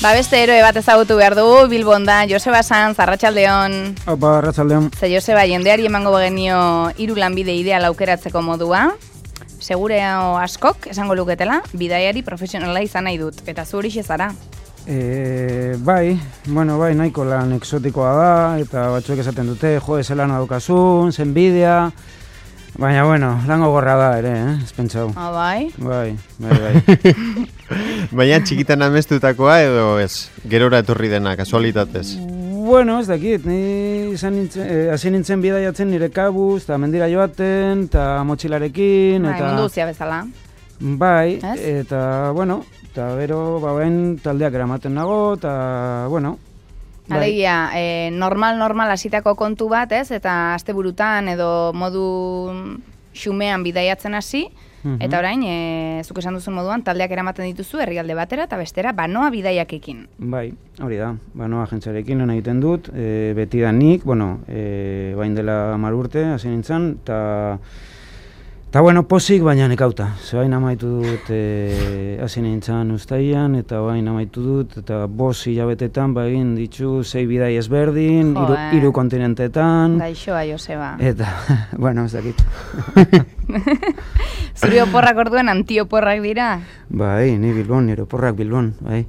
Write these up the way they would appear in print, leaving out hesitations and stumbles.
Ba, beste eroe bat ezagutu behar dugu, Bilbon da, Joseba Sanz, arratsaldeon. Opa, arratsaldeon. Ze Joseba, jendeari emango genio 3 lanbide ideal aukeratzeko modua. Segureo askok, esango luketela, bidaiari profesionala izan nahi dut. Eta zu horixe zara. Bai, nahiko lan exotikoa da, eta batzuek esaten dute, jo, zelan adukazun, zen bidea. Baina, lan gogorra da ere, ez pentsau. Bai? Bai. Baina txikitan amestutakoa edo ez? Gerora etorri dena, kasualitatez? Ez dakit, ni hasi nintzen bidaiatzen nire kabuz, eta mendira joaten, eta motxilarekin, eta... mundu guztia bezala. Bai, eta, eta gero, bain taldeak eramaten nago, eta, Alegia, normal hasitako kontu bat, ez? Eta asteburutan edo modu xumean bidaiatzen hasi, eta orain, zuk esan duzun moduan, taldeak eramaten dituzu herrialde batera eta bestera banoa bidaiakekin. Bai, hori da, banoa agentziarekin lan egiten dut, beti da nik, bain dela 10 urte, hasi nintzen, eta posik, baina nekauta. Bain amaitu dut hasi nintzen uztaian, eta bain amaitu dut, eta 5 hilabetetan egin ditu 6 bidai ezberdin, 3 kontinentetan. Gaixoa, Joseba. Eta, ez dakit. Zuri oporrak orduan antioporrak dira? Bai, ni Bilbon, nire oporrak Bilbon, bai.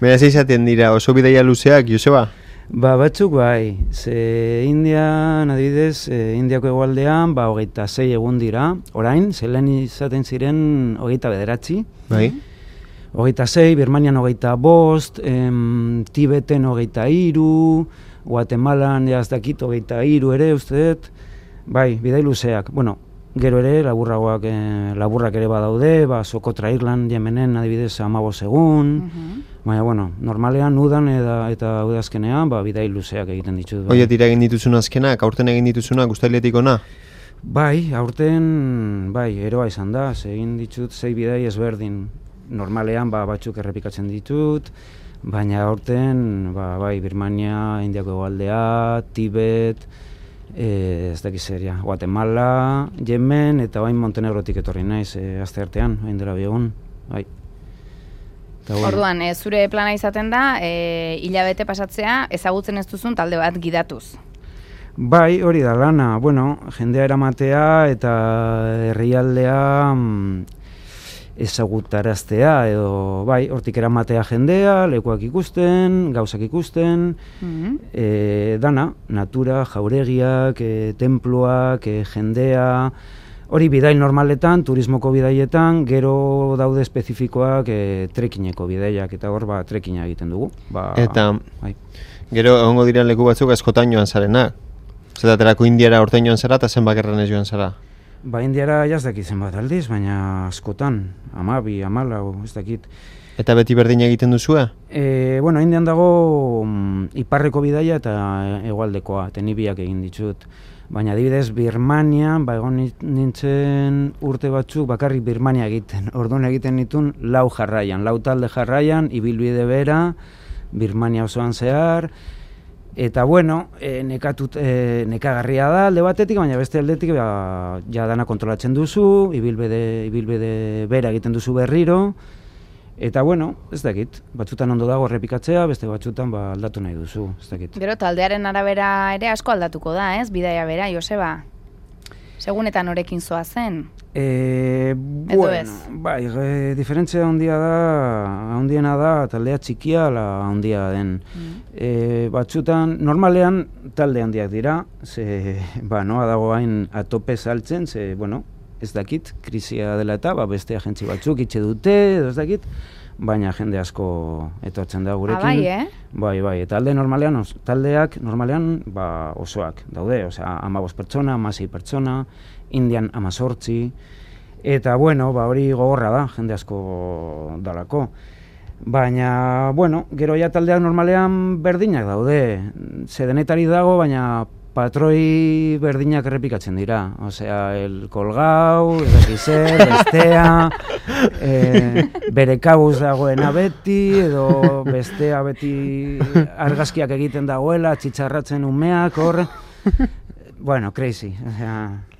Beraz izaten dira, oso bidaia luzeak, Joseba? Batzuk bai, ze Indian, adibidez, Indiako hegoaldean, 26 egun dira, orain, zelen izaten ziren 29. Bai. 26, Birmanian 25, Tibeten 23, Guatemalan, jazdakit, 23 ere, ustedet, bai, bidai luzeak, gero ere, laburrak ere badaude, Sokotra Irland, Yemenen, adibidez, 15 egun, baina, normalean udan eta udazkenean, bidai luzeak egiten ditut. Oie tira egin dituzun azkenak, aurten egin dituzunak ustailetik ona? Bai, aurten, eroa izan da, egin ditut 6 bidai ezberdin. Normalean, batzuk errepikatzen ditut, baina aurten, Birmania, Indiako hegoaldea, Tibet, ez dakiz zeria, Guatemala, Yemen, eta bain Montenegrotik etorri naiz, aste artean, bain dela biegun, bai. Orduan, zure plana izaten da, hilabete pasatzea, ezagutzen ez duzun talde bat gidatuz. Bai, hori da lana, jendea eramatea eta herrialdea ezagutaraztea, edo, hortik eramatea jendea, lekuak ikusten, gauzak ikusten, dana, natura, jauregiak, temploak, jendea, hori bidai normaletan, turismoko bidaietan, gero daude espezifikoak trekineko bidaiak, eta hor trekina egiten dugu. Eta, gero egongo dira leku batzuk askotan joan zarenak? Zeraterako Indiara orten joan zara eta zenbak erranez joan zara? Indiara jazdak izan bat aldiz, baina askotan, 12, 14, ez dakit. Eta beti berdin egiten duzue? Indian dago iparreko bidaia eta hegoaldekoa, eta ni biak egin ditut. Baina adibidez, Birmanian, egon nintzen urte batzuk bakarrik Birmania egiten. Orduan egiten nituen 4 jarraian, 4 talde jarraian, ibilbide bera, Birmania osoan zehar, eta nekagarria da alde batetik, baina beste aldetik ja dana kontrolatzen duzu, ibilbide bera egiten duzu berriro, eta ez dakit, batzutan ondo dago errepikatzea, beste batzutan aldatu nahi duzu, ez dakit. Gero taldearen arabera ere asko aldatuko da, ez? Bidaia bera, Joseba? Segunetan norekin zoa zen? Diferentzia handiena da taldea txikia ala handia den. Batzutan, normalean talde handiak dira, noa dago hain atope saltzen, ez dakit, krisia dela eta beste agentzi batzuk itxe dute, ez dakit, baina jende asko etortzen da gurekin. Bai, eta taldeak normalean osoak daude, 15 pertsona, 16 pertsona, Indian 18, eta hori gogorra da, jende asko dalako. Baina, gero ja taldeak normalean berdinak daude, zedenetari dago, baina patroi berdinak errepikatzen dira. El kolgau, bestea, bere kabuz dagoena beti, edo bestea beti argazkiak egiten dagoela, txitxarratzen umeak, hor. Crazy.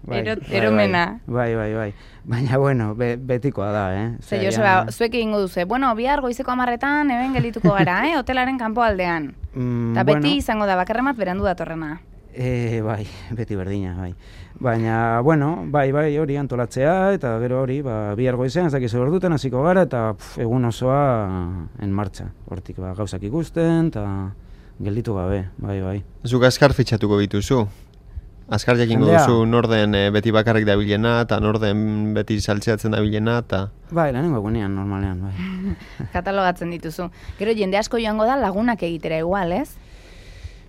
Eromena. Bai. Baina, bueno, betikoa da, Ze, Joseba, zuek egingo duzu, bueno, bihar goizeko 10:00 hemen gelituko gara, hotelaren kanpoaldean. Eta beti izango da, bakarremat berandu datorrena. Bai, beti berdina, bai. Baina, bueno, bai, hori antolatzea, eta gero hori, bihar goizean, ez dakizu orduten hasiko gara, eta egun osoa en martxa. Hortik, gauzak ikusten, eta gelditu gabe, bai. Zuk azkar fitxatuko bituzu? Azkar jakingo duzu norden beti bakarrik dabilena, eta norden beti saltzeatzen dabilena, eta... Bai, lehenengo egunean, normalean, bai. Katalogatzen dituzu. Gero jende asko joango da lagunak egitera igual, ez?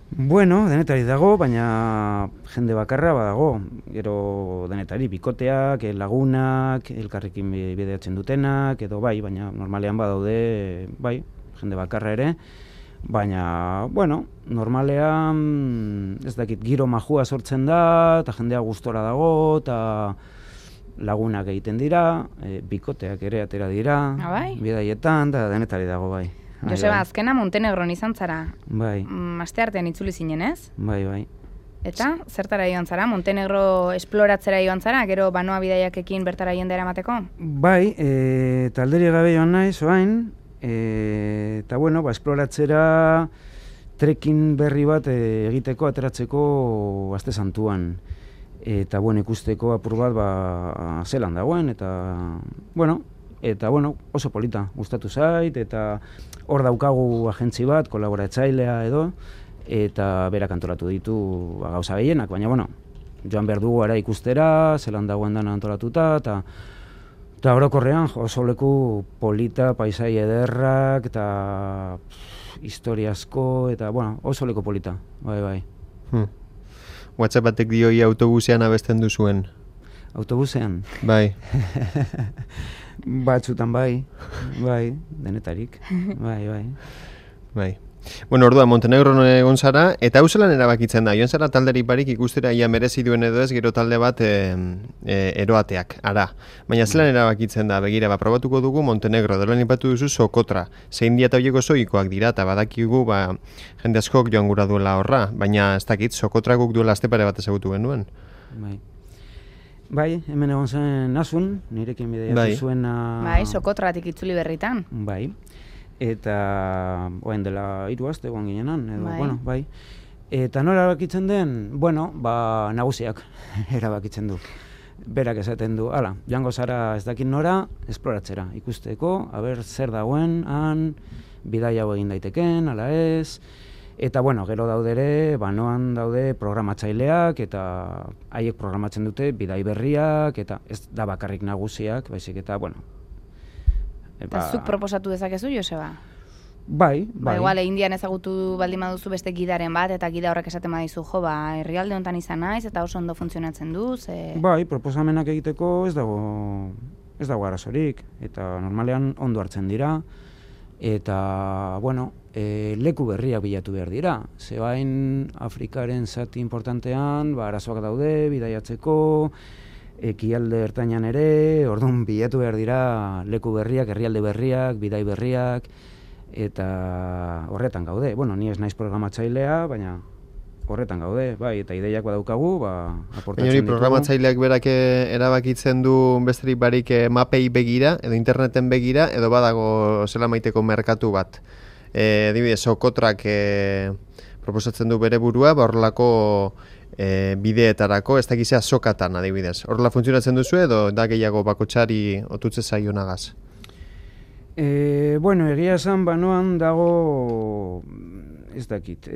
Bueno, denetari dago, baina jende bakarra badago. Gero denetari bikoteak, lagunak, elkarrekin bideatzen dutenak, edo bai, baina normalean badaude, bai, jende bakarra ere. Baina, bueno, normalean, ez dakit, giro majua sortzen da, eta jendea gustora dago, eta lagunak egiten dira, bikoteak ere atera dira, bidaietan, eta denetari dago, bai. Joseba, azkena Montenegron izan zara. Bai. Asteartean itzuli zinen, ez? Bai. Eta, zertara joan zara? Montenegro esploratzera joan zara, gero banoa bidaiakekin bertara jendera emateko? Bai, talderi gabe joan naiz, oain, eta bueno, esploratzera trekking berri bat egiteko, ateratzeko Aste Santuan. Eta bueno, ikusteko apur bat zelan dagoen, eta bueno, oso polita, gustatu zait, eta hor daukagu agentzi bat, kolaboratzailea edo, eta berak antolatu ditu gauza gehienak, baina bueno, joan behar dugu ara ikustera, zelan dagoen dana antolatuta, eta orokorrean oso leku polita, paisai ederrak, eta historia asko, eta bueno, oso leku polita, bai. WhatsApp batek dioi autobusean abesten duzuen? Autobusean? Bai. Batzutan bai, denetarik, bai. Bueno, orduan, Montenegron egon zara, eta hau zelan erabakitzen da, joan zara talderik barik ikustera ia merezi duen edo ez, gero talde bat eroateak, ara. Baina zelan erabakitzen da, begira, probatuko dugu Montenegro, dela nipatu duzu Sokotra, zein dia eta horieko zoikoak dira, eta badakigu, jende askok joan gura duela horra, baina ez dakit, Sokotra guk duela aztepare bat ezagutu genuen. Bai, hemen egon zen Asun, nirekin bideatu zuena... Bai, Sokotratik itzuli berritan. Bai, eta oen dela 3 aste egon ginenan, edo, bueno, bai. Eta nola erabakitzen den? Bueno, nagusiak erabakitzen du. Berak esaten du, hala, joango zara ez dakit nora, esploratzera, ikusteko, zer dagoen, bidai hau egin daiteken, ala ez... Eta, bueno, gero daude ere, banoan daude programatzaileak, eta haiek programatzen dute bidai berriak, eta ez da bakarrik nagusiak, baizik eta, bueno... Eta zuk proposatu dezakezu, Joseba? Bai. Igual, Indian ezagutu baldin baduzu beste gidaren bat, eta gida horrek esaten badizu, herrialde honetan izan naiz, eta oso ondo funtzionatzen du, Bai, proposamenak egiteko ez dago arazorik, eta normalean ondo hartzen dira, eta, bueno, leku berriak bilatu behar dira. Zebain Afrikaren zati importantean, arazoak daude, bidaiatzeko, ekialde ertainan ere, orduan bilatu behar dira leku berriak, herrialde berriak, bidai berriak, eta horretan gaude. Bueno, ni ez naiz programatzailea, baina horretan gaude, bai, eta ideiak badaukagu, aportatzen ditugu. Programatzaileak berak erabakitzen du besterik barik mapei begira, edo interneten begira, edo badago zela maiteko merkatu bat. Adibidez, Sokotrak proposatzen du bere burua, horrelako bideetarako, ez dakizea sokatan adibidez. Horrela funtzionatzen duzu edo da gehiago bakotxari otutze zaionagaz? Bueno, egia esan banoan dago, ez dakit,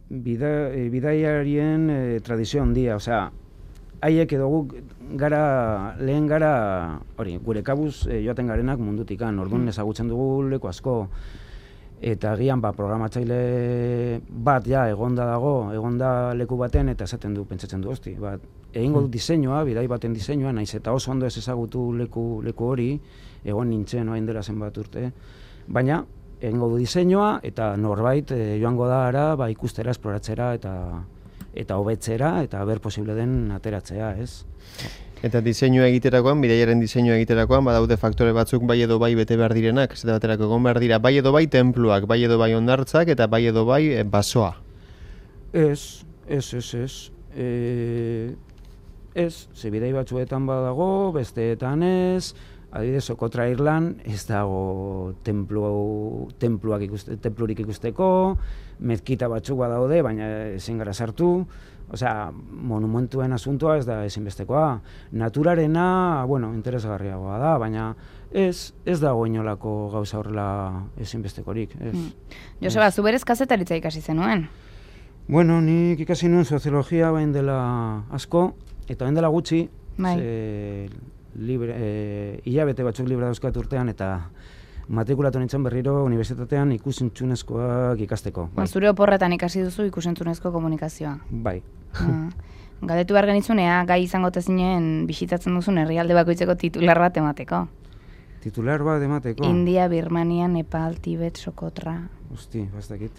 bidaiarien tradizio handia, osea, haiek edo guk lehen gara, gure kabuz joaten garenak mundutikan, orduan ezagutzen dugu leku asko, eta agian programatzaile bat egonda leku baten, eta esaten du, pentsatzen du, egingo du diseinua, bidai baten diseinua, naiz eta oso ondo ez ezagutu leku hori, egon nintzen oain dela zenbat urte, baina egingo du diseinua, eta norbait joango da ara, ikustera, esploratzera, eta hobetzera, eta ber posible den ateratzea, ez? Eta diseinua egiterakoan, bidaiaren diseinua egiterakoan, badaude faktore batzuk bai edo bai bete behar direnak, zeta baterako egon behar dira, bai edo bai tenpluak, bai edo bai hondartzak, eta bai edo bai basoa. Ez. ez, bidai batzuetan badago, besteetan ez, adibidez, Sokotra Irlan ez dago templurik ikusteko, mezkita batzuk badaude, baina ezin gara sartu, osea, monumentuen asuntoa ez da ezinbestekoa. Naturarena, bueno, interesgarriagoa da, baina ez dago inolako gauza horrela ezinbestekorik. Joseba, zu berez kazetaritza ikasi zenuen? Bueno, nik ikasi nuen soziologia bain dela asko, eta bain dela gutxi, hilabete batzuk libre dauzkat urtean, eta matrikulatu nintzen berriro unibertsitatean ikusentzunezkoak ikasteko. Zure oporretan ikasi duzu ikusentzunezko komunikazioa? Bai. Galdetu behar genitzunea, gai izango tezinen bisitatzen duzun herrialde bakoitzeko titular bat emateko. Titular bat emateko? India, Birmania, Nepal, Tibet, Sokotra... Hosti, bastakit.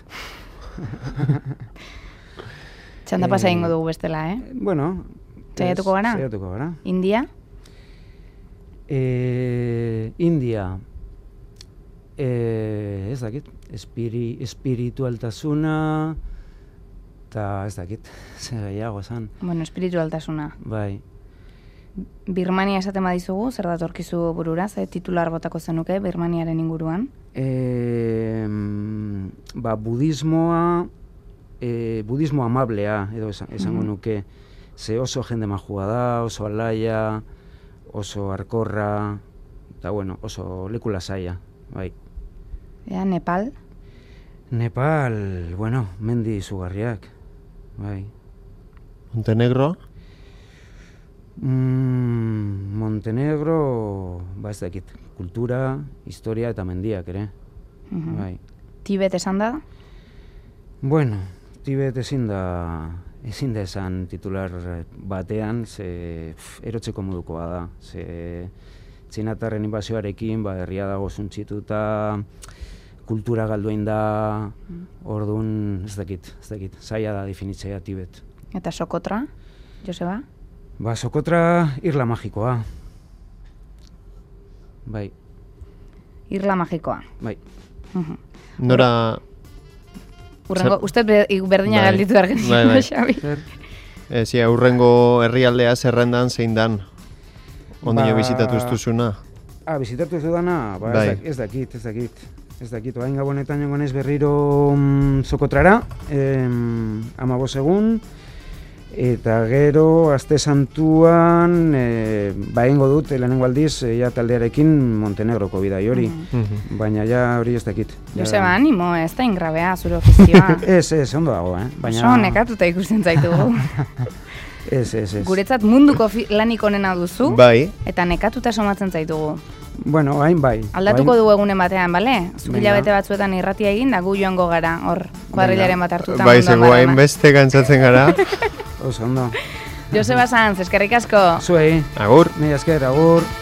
Txanda pasa ingo dugu bestela, Bueno... Zaiatuko gara? Zaiatuko gara. India? India... ez dakit, espiritualtasuna, eta ez dakit, zer gehiago esan. Bueno, espiritualtasuna. Bai. Birmania esaten badizugu, zer datorkizu burura, titular botako zenuke Birmaniaren inguruan? Budismo amablea, edo esango nuke, ze oso jende majua da, oso alaia, oso arkorra, eta bueno, oso leku lasaia, bai. Nepal? Nepal, bueno, mendi izugarriak, bai. Montenegro? Montenegro, ez dakit, kultura, historia eta mendiak ere, bai. Tibet esan da? Bueno, Tibet ezin da esan titular batean, ze erotzeko modukoa da, ze txinatarren inbasioarekin, herria dago zuntxituta, kultura galduin da, orduan, ez dakit, zaila da definitzea Tibet. Eta Sokotra, Joseba? Sokotra Irla Magikoa. Bai. Irla Magikoa. Bai. Nora... Uste berdina galditu ergen, Xabi. Zia, urrengo herrialdea zerrendan zein dan? Ondino bizitatu ez duzuna? Bizitatu ez dudana? Ez dakit. Oain gabonetan jongo naiz berriro Sokotrara, 15 egun, eta gero aste santuan egingo dut lehenengo aldiz taldearekin Montenegroko bidai hori, baina hori ez dakit. Joseba, animo, ez da ingrabea zure ofizioa. Ez, ondo dago, Oso nekatuta ikusten zaitugu. Ez. Guretzat munduko lanik onena duzu, eta nekatuta somatzen zaitugu. Bueno, hain bai. Aldatuko dugu egunen batean, bale? Zukilabete batzuetan irratia egin, da gu joango gara, hor, kuadrilaren bat hartuta. Bai, zego hain beste gantzatzen gara. Oso, ondo. Joseba Sanz, eskerrik asko. Zuei. Agur. Mila esker, agur.